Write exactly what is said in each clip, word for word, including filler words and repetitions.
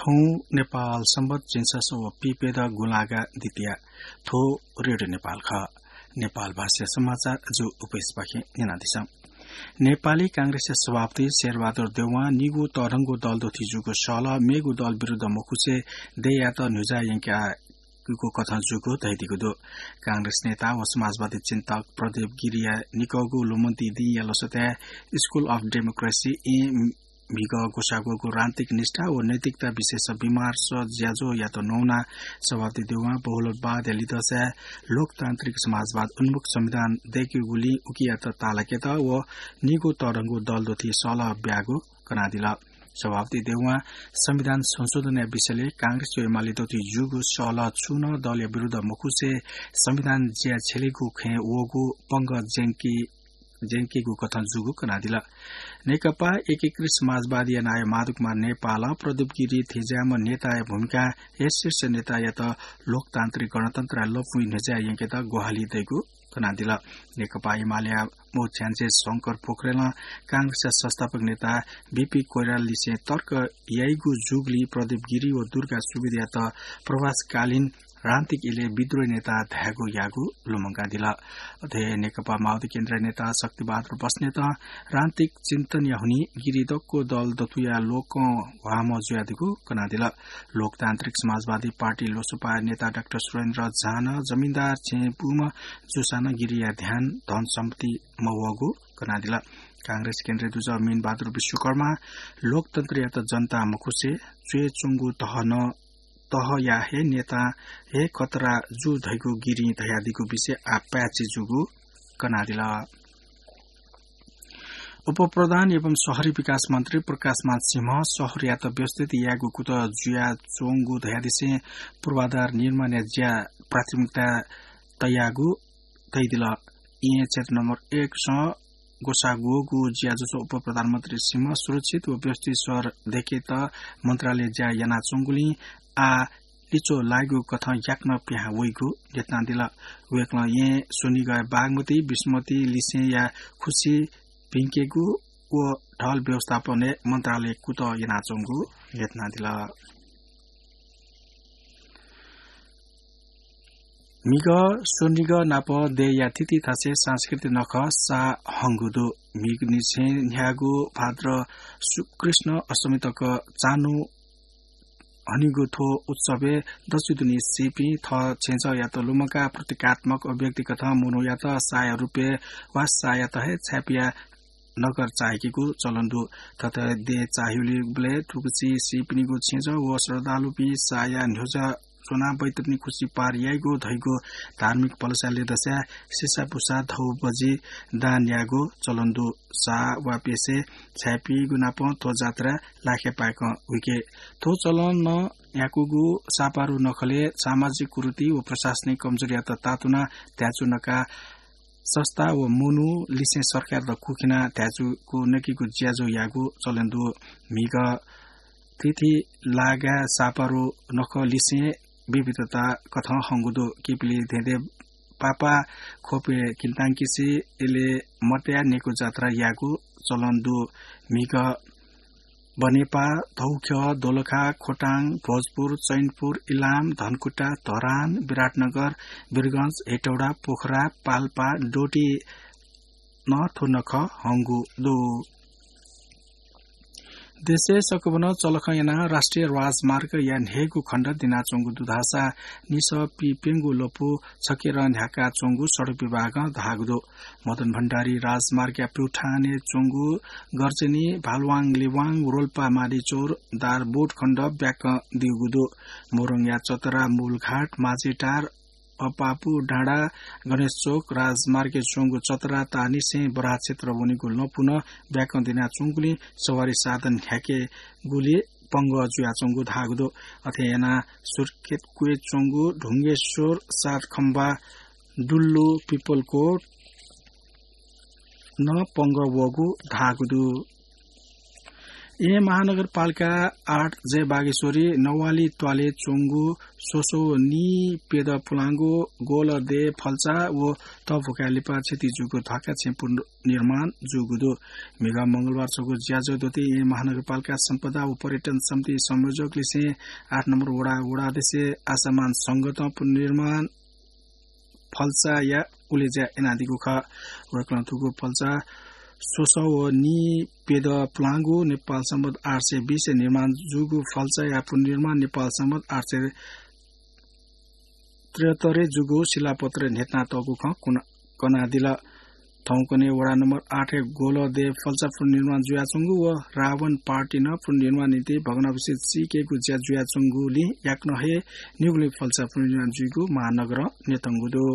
उं नेपाल संवत झिंछसः व पीप्यदँ गुंलागा द्वितीया। थ्व रेडियो नेपाल खः। नेपाल भाषा समाचार जु उपस्पाखें न्यनादिसँ। नेपाली कांग्रेसया सभापति शेरबहादुर देउवां निगू तःधंगु दल दुथि जूगु सहलह मेगु दल विरुद्ध मखुसे देय्‌यात न्ह्यज्याः यंकागु कथं जूगु धयादीगु दु। कांग्रेस नेता व समाजवादी चिन्तक प्रदीप गिरिया निकःगु लुमन्ति दिंया लसताय् School of Democracy, म्हिगः ग्वसाः ग्वःगु राजनीतिक निष्ठा व नैतिकता विषयस विमर्श ज्याझ्वःयात नवानाः सभापति देउवां बहुलवादया लिधंसाय् लोकतान्त्रिक समाजवाद उन्मुख संविधान दय्‌केगुलिं उकियात ताःलाकेत व निगू तःधंगु दल दुथि सहलह ब्याःगु कनादिल। सभापति देउवां संविधान संशोधनया विषयलय् कांग्रेस व एमाले दुथि जूगु सहलह छुं नं दलया विरुद्ध मखुसे संविधान ज्या छ्यलेगु खँय् वःगु पंगः ज्यंकी ज्यंकीगु कथं जूगु कनादिल। नेकपा एकीकृत समाजवादीया नायः माधव कुमार नेपालं प्रदीप गिरी थेंज्याःम्ह नेताया भूमिकां हे शीर्ष नेतायात लोकतान्त्रिक गणतन्त्रया लँपुइ न्ह्यज्याः यंकेत ग्वाहालि दइगु कनादिल। नेकपा एमालेया मू छ्याञ्जे शंकर पोखरेलं कांग्रेसया संस्थापक नेता बीपी कोइरालालिसें तर्क याइगु जूगुलिं प्रदीप गिरी व दुर्गा सुवेदीयात प्रवासकालीन राजनीतिक इलय् विद्रोही नेता धायेगु याःगु लुमंकादिल। अथे नेकपा माओवादी केन्द्रीय नेता शक्तिबहादुर बस्नेतं राजनीतिक चिन्तनया हुनिं गिरी दक्व दल दथुया लोकं ह्वाःम्ह जुयादीगु कनादिल। लोकतान्त्रिक समाजवादी पार्टी लोसपाया नेता डाक्टर सुरेन्द्र झां जमिनदार छेँय् बूम्ह जूसां नं गिरीया ध्यान धन सम्पत्ति मवःगु कनादिल। कांग्रेस केन्द्रीय दुजः मीनबहादुर विश्वकर्मां लोकतन्त्रयात जनता मखुसे च्वय् च्वंगु तह नं तहया हे नेतां हे खतरा जू धइगु गिरिं धयादीगु विषय आः पाय्‌छि जूगु कनादिल। उपप्रधान एवं शहरी विकास मन्त्री प्रकाशमान सिंहं शहरयात व्यवस्थित यायेगु कुतः जुयाच्वंगु धयादिसें पूर्वाधार निर्माणया ज्या प्राथमिकता तयागु धयादिल। येँ क्षेत्र नम्बर एकसं ग्वसाः ग्वःगु ज्याझ्वलय् उपप्रधानमन्त्री सिंहं सुरक्षित व व्यवस्थित शहर दय्‌केत मन्त्रालयं ज्या यानाच्वंगुलिं आः लिच्वः लाइगु कथं याकनं पिहां वइगु न्ह्यथनादिल। वय्‌कलं येँ स्वनिगःया बागमती, विष्णुमती लिसेंया खुसि भिंकेगु व ढल व्यवस्थापनय् मन्त्रालय कुतः यानाच्वंगु न्ह्यथनादिल। म्हिगः स्वनिगः नाप देय्‌या थीथी थासय् सांस्कृतिक नखः साः हंगु दु। म्हिगःनिसें न्ह्यागु भाद्र सु-, कृष्ण अष्टमी तक चान्हु हनीगु थ्व उत्सवय् दच्छि दुने सीपिं थः छेँजःयात लुमंकाः प्रतीकात्मक अभिव्यक्ति कथं मनूयात साःया रूपय् वा साःयात हे छाय्‌पिया नखः चाःहिकेगु चलन दु। थथे देय् चाःहिउलिबलय् थुगुसी सीपिनिगु छेँजः व श्रद्धालुपिं साःया न्ह्यज्याः च्वनाः बैतरणी खुसि पार याइगु धइगु धार्मिक भलसाया लिधंसाय् सिसाबुसा धौबजि दान यायेगु चलन दु। साः वा प्यसय् छाय्‌पिनिगु नापं थ्व जात्रा लाखे पाय्‌कं हुइके। थ्व चलन नं न्ह्याकूगु साःपारु नखलय् सामाजिक कुरीति व प्रशासनिक कमजोरीयात तातुनाः धायेच्वना का संस्था व मनू लिसें सरकारयात कुखिनाः धायेच्वंगु नकिगु ज्याझ्वः यायेगु चलन दु। म्हिगः थीथी लागाय् साःपारु नखः लिसें विविधता कथं हंगु दु। किपिलि धेंधें पापा ख्वपय् किन्तांकिसि इलय् मतया नेकू जात्रा यायेगु चलन दु। म्हिगः बनेपा, धौख्यः, दोलखा, खोटाङ, भोजपुर, चैनपुर, इलाम, धनकुटा, धरान, विराटनगर, वीरगंज, हेटौडा, पोखरा, पाल्पा, डोटी नं थ्व नखः हंगु दु। देशय् सकभनं चलखं यानाः राष्ट्रिय राजमार्गया न्हय्‌गू खण्ड दिनाच्वंगु दु धाःसा निसः पीप्यंगू लँपु छकेरं न्ह्याकाच्वंगु सडक विभागं धाःगु दु। मदन भण्डारी राजमार्गया प्युठानय् च्वंगु गर्जनी, भालुवाङ, लिवाङ, रोल्पा, माडीचौर, दारबोट खण्ड ब्याकं दीगु दु। मोरङया चतरा, मूलघाट, माझेटार, अपापु, डाँडा, गणेशचोक राजमार्गय् च्वंगु चतरा ताःनिसें बराह क्षेत्र वनेगु लँपु नं ब्याकं दिनाच्वंगुलिं सवारी साधन न्ह्याकेगुली पंगः जुयाच्वंगु धाःगु दु। अथे यानाः सुर्खेत क्वय् च्वंगु ढुङ्गेश्वर, सातखम्बा, डुल्लु, पिपलकोट नं पंगः वःगु धाःगु दु। येँ महानगरपालिका आठ जय बागेश्वरी नवाली त्वालय् च्वंगु स्वसः व नीप्यदँ पुलांगु गोलदे फल्चा व तःभुखाय् लिपा क्षति जूगु ध्वाखा छेँ पुनर्निर्माण जूगु दु। म्हिगः मंगलबार छगू ज्याझ्वः द्वःतें येँ महानगरपालिका सम्पदा व पर्यटन समिति संयोजकलिसें आठ नम्बर वडा वडाध्यक्ष आशामान संघतं पुनर्निर्माण फल्चाया उलेज्या यानादीगु खः। वय्कलं थुगु फल्चा स्वसः व नीप्यदँ पुलांगु नेपाल संवत् आठ सय बीस निर्माण जूगु फल्चाया पुनर्निर्माण नेपाल संवत् आठ सय त्रिहत्तरय् जूगु शिलापत्रय् न्ह्यथनातःगु खँ कुन-, कनादिल। थौंकन्हय् वडा नम्बर आठय् गोलदे फल्चा पुनर्निर्माण जुयाच्वंगु व रावण पार्टी नं पुनर्निर्माण निंतिं भग्नावशेष चीकेगु ज्या जुयाच्वंगुलिं याकनं हे निगुलिं फल्चा पुनर्निर्माण जुइगु महानगरं न्यतंगु दु।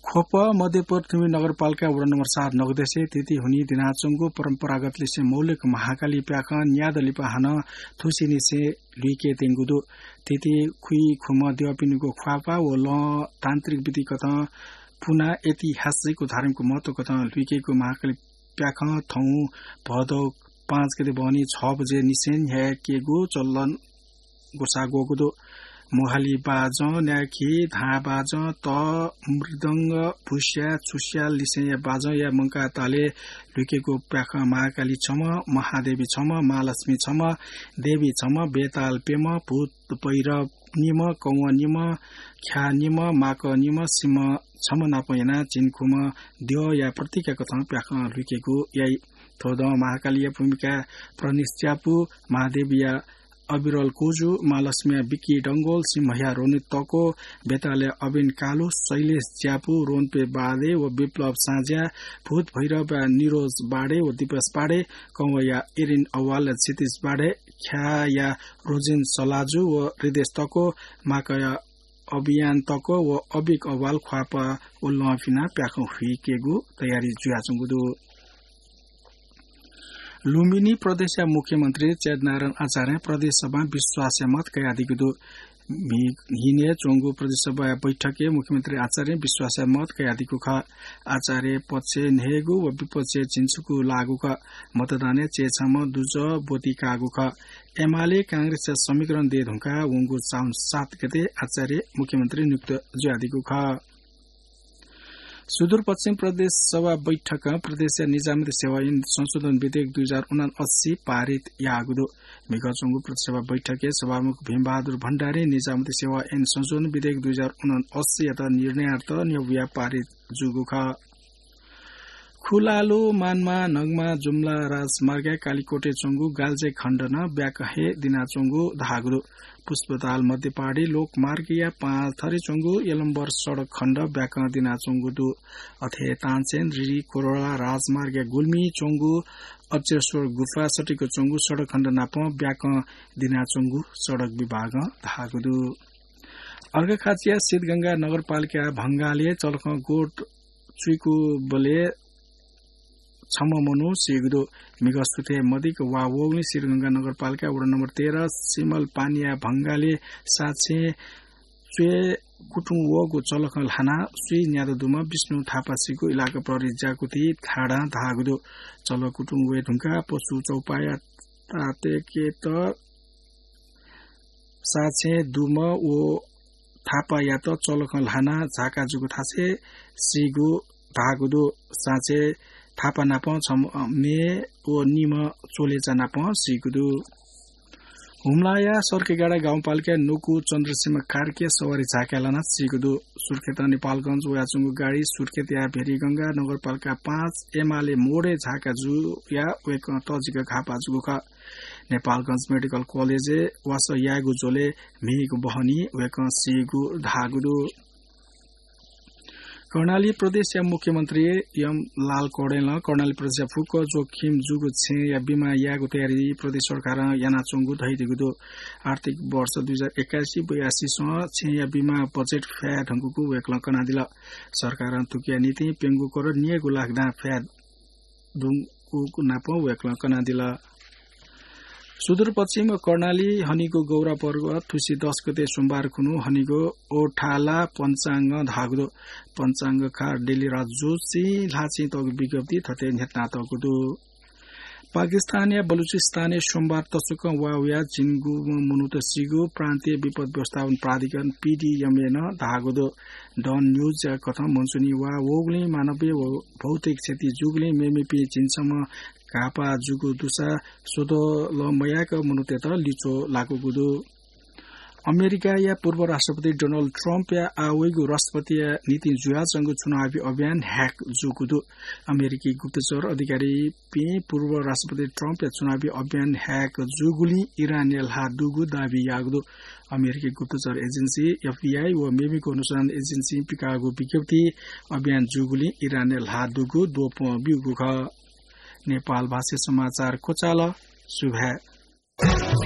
ख्वप मध्यपरथुमी नगरपालिका वडा नम्बर सात नगदेसे तिथिहुनि दिनाच्वंगु परम्परागत लिसें मौलिक महाकाली प्याखं न्यादँ लिपा हानं थुसिनिसें लुइके त्यंगु दु। तिथि खुइखुम्ह द्यःपिनिगु ख्वाःपाः व लँ तान्त्रिक विधिकथं पुना ऐतिहासिक व धार्मिक महत्वकथं लुइकेगु महाकाली प्याखं थौं भदौ पाँच गते बहनी छ बजे निसें न्ह्याकेगु चलन ग्वसाः ग्वःगु दु। मुहाली बाजं, न्याखी, धाँ बाजं, त, मृदंग, भुस्या, छुस्या लिसेंया बाजंया मंकाः तालय् लुइकेगु प्याखं महाकाली छम्ह, महादेवी छम्ह, महालक्ष्मी छम्ह, देवी छम्ह, बेताल प्यम्ह, भूत भैरव निम्ह, कौं निम्ह, ख्या निम्ह, माक निम्ह, सिंह छम्ह नाप यानाः झिंखुम्ह द्यःया प्रतीककथं प्याखं लुइकेगु याइ। थ्व दँ महाकालीया भूमिकाय् प्रनिश च्यापु, महादेवीया अविरल कोजु, महालक्ष्मीया विक्की डंगोल, सिंहया रोनित तको, बेतालया अबिन कालु, शैलेश च्यापु, रोन्पे बाडे व विप्लव साँज्या, भूत भैरवया निरोज बाडे व दिवस बाडे, कौंया इरिन अवालया क्षितिज बाडे, ख्याया रोजिन सलाजु व हृदेश तको, माकया अभियान तको व अबिक अवाल ख्वाःपाः व लँ फिनाः प्याखं हुइकेगु तयारी जुयाच्वंगु दु। लुम्बिनी प्रदेशया मुख्यमन्त्री चेतनारायण आचार्यं प्रदेश सभां विश्वासया मत कयादीगु दु। म्हि-, न्हिनय् च्वंगु प्रदेश सभाया बैठकय् मुख्यमन्त्री आचार्यं विश्वासया मत कयादीगु खः। आचार्य पक्षय् न्हय्गू व विपक्षय् झिंछुगू लाःगु खः। मतदानय् चय्छम्ह दुजः ब्वति काःगु खः। एमाले कांग्रेसया समीकरण दये धुंकाः वंगु साउन सात गते आचार्य मुख्यमन्त्री नियुक्त जुयादीगु खः। सुदूरपश्चिम प्रदेश सभा बैठकं प्रदेशया निजामती सेवा ऐन संशोधन विधेयक दुई हजार उनासी पारित याःगु दु। म्हिगः च्वंगु प्रदेश सभा बैठकय् सभामुख भीमबहादुर भण्डारीं निजामती सेवा ऐन संशोधन विधेयक दुई हजार उनासीयात निर्णयार्थ न्ह्यब्वया पारित जूगु खः। खुलालु मानमा नगमा जुम्ला राजमार्गय् कालिकोटय् च्वंगु गाल्जे खण्ड नं ब्याकं हे दिनाच्वंगु धाःगु दु। पुष्पताल मध्यपाडी लोकमार्गया पाँच थरी च्वंगु यलम्बर सडक खण्ड ब्याकं दिनाच्वंगु दु। अथे तानसेन रिरी कोरोला राजमार्गया गुल्मी च्वंगु अक्षेश्वर गुफा सटिक च्वंगु सडक खण्ड नापं ब्याकं दिनाच्वंगु सडक विभागं धाःगु दु। अर्घाखाँचिया सिद्धगंगा नगरपालिका भंगालय् चलखं गोठ चुइकूबलय् छम्ह मनू सीगु दु। म्हिगः सुथय् मदिक्क वा वःगुलिं सिद्धगंगा नगरपालिका वडा नम्बर तेह्र सिमलपानीया भंगालय् साक्षें च्वय् कुतुं वःगु चलखं ल्हानाः स्वीगू न्यादँ दुम्ह विष्णु थापा सीगु इलाका प्रहरी ज्याकुथि थानां धाःगु दु। चलखं कुतुं वये धुंकाः पशु चौपाःया तातेकेत साक्षें दुम्ह व थापायात चलखं ल्हानाः झाका जूगु थासय् सीगु धाःगु दु। साक्षें थापा नाप छम्ह मेम्ह व निम्ह चोलेचा नाप सीगु दु। हुम्लाया सर्केगाडा गाउँपालिकाया नुकु चन्द्रसिंह कार्की सवारी झाकाय् लानाः सीगु दु। सुर्खेतं नेपालगंज वयाच्वंगु गाडी सुर्खेतया भेरीगंगा नगरपालिका पाँच एमाले मोडय् झाका जुयाः वय्कः तःजिक घाःपाः जूगु खः। नेपालगंज मेडिकल कलेजय् वासः यायेगु झ्वलय् म्हिगः बहनी वय्कः सीगु धाःगु दु। कर्णाली प्रदेशया मुख्यमन्त्री यमलाल कौडेलं कर्णाली प्रदेशया फुक्क जोखिम जूगु छेँया बिमा यायेगु तयारी प्रदेश सरकारं यानाच्वंगु धयादीगु दु। आर्थिक वर्ष दुई हजार एकासी बयासीसं छेँया बिमा बजेट फ्याये धुंकूगु वय्कलं कनादिल। सरकारं थुकिया निंतिं प्यंगू करोड न्यय्गू लाख दां फ्याये धुंकूगु नाप वय्कलं कनादिल। सुदूरपश्चिम कर्णाली हनिगु गौरा पर्वत थुसी दस गते सोमबार खुन्हु हनिगु ओठाला पञ्चाङ्ग धाःगु दु। पञ्चाङ्गकार डेली राज जोशीं ल्हाःचिं तःगु विज्ञप्ति थथे न्ह्यथनातःगु दु। पाकिस्तानया बलुचिस्तानय् सोमबार तसकं वा वयाः झिंगुम्ह मनूत सीगु प्रान्तीय विपद व्यवस्थापन प्राधिकरण, पीडीएमए, नं धाःगु दु। डन न्यूजया कथं मनसुनी वा वःगुलिं मानवीय व भौतिक क्षति जूगुलिं मेमेपिं झिंछम्ह घाःपाः जूगु दुसा स्वदँ मयाक मनूतय्त लिच्वः लाकूगु दु। अमेरिकाया पूर्व राष्ट्रपति डोनाल्ड ट्रम्पया आः वइगु राष्ट्रपतिया निंतिं जुयाच्वंगु चुनावी अभियान ह्याक जूगु दु। अमेरिकी गुप्तचर अधिकारीपिं पूर्व राष्ट्रपति ट्रम्पया चुनावी अभियान ह्याक जूगुलिं इरानय् ल्हाः दुगु दाबी याःगु दु। अमेरिकी गुप्तचर एजेन्सी, एफबीआई, व मेमेगु अनुसन्धान एजेन्सीं पिकाःगु विज्ञप्तिइ अभियान जूगुलिं इरानय् ल्हाः दुगु द्वपं ब्यूगु खः। नेपाल भाषा समाचार क्वचाल। सुभाय्।